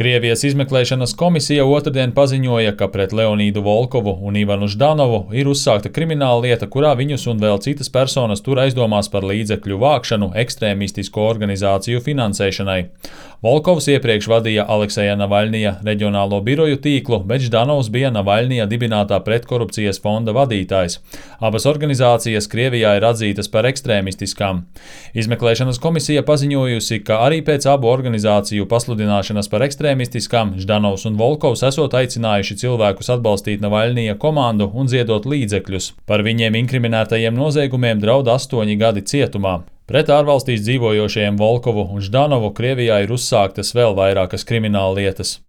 Krievijas izmeklēšanas komisija otrdien paziņoja, ka pret Leonīdu Volkovu un Ivanu Ždanovu ir uzsākta krimināla lieta, kurā viņus un vēl citas personas tur aizdomās par līdzekļu vākšanu ekstrēmistisko organizāciju finansēšanai. Volkovs iepriekš vadīja Alekseja Navaļnija reģionālo biroju tīklu, bet Ždanovs bija Navaļnija dibinātā pretkorupcijas fonda vadītājs. Abas organizācijas Krievijā ir atzītas par ekstrēmistiskām. Izmeklēšanas komisija paziņojusi, ka arī pēc abu organizāciju pasludināšanas par ekstrēmistiskām Ždanovs un Volkovs esot aicinājuši cilvēkus atbalstīt Navaļnija komandu un ziedot līdzekļus. Par viņiem inkriminētajiem noziegumiem draud 8 gadi cietumā. Pret ārvalstīs dzīvojošajiem Volkovu un Ždanovu Krievijā ir uzsāktas vēl vairākas krimināllietas.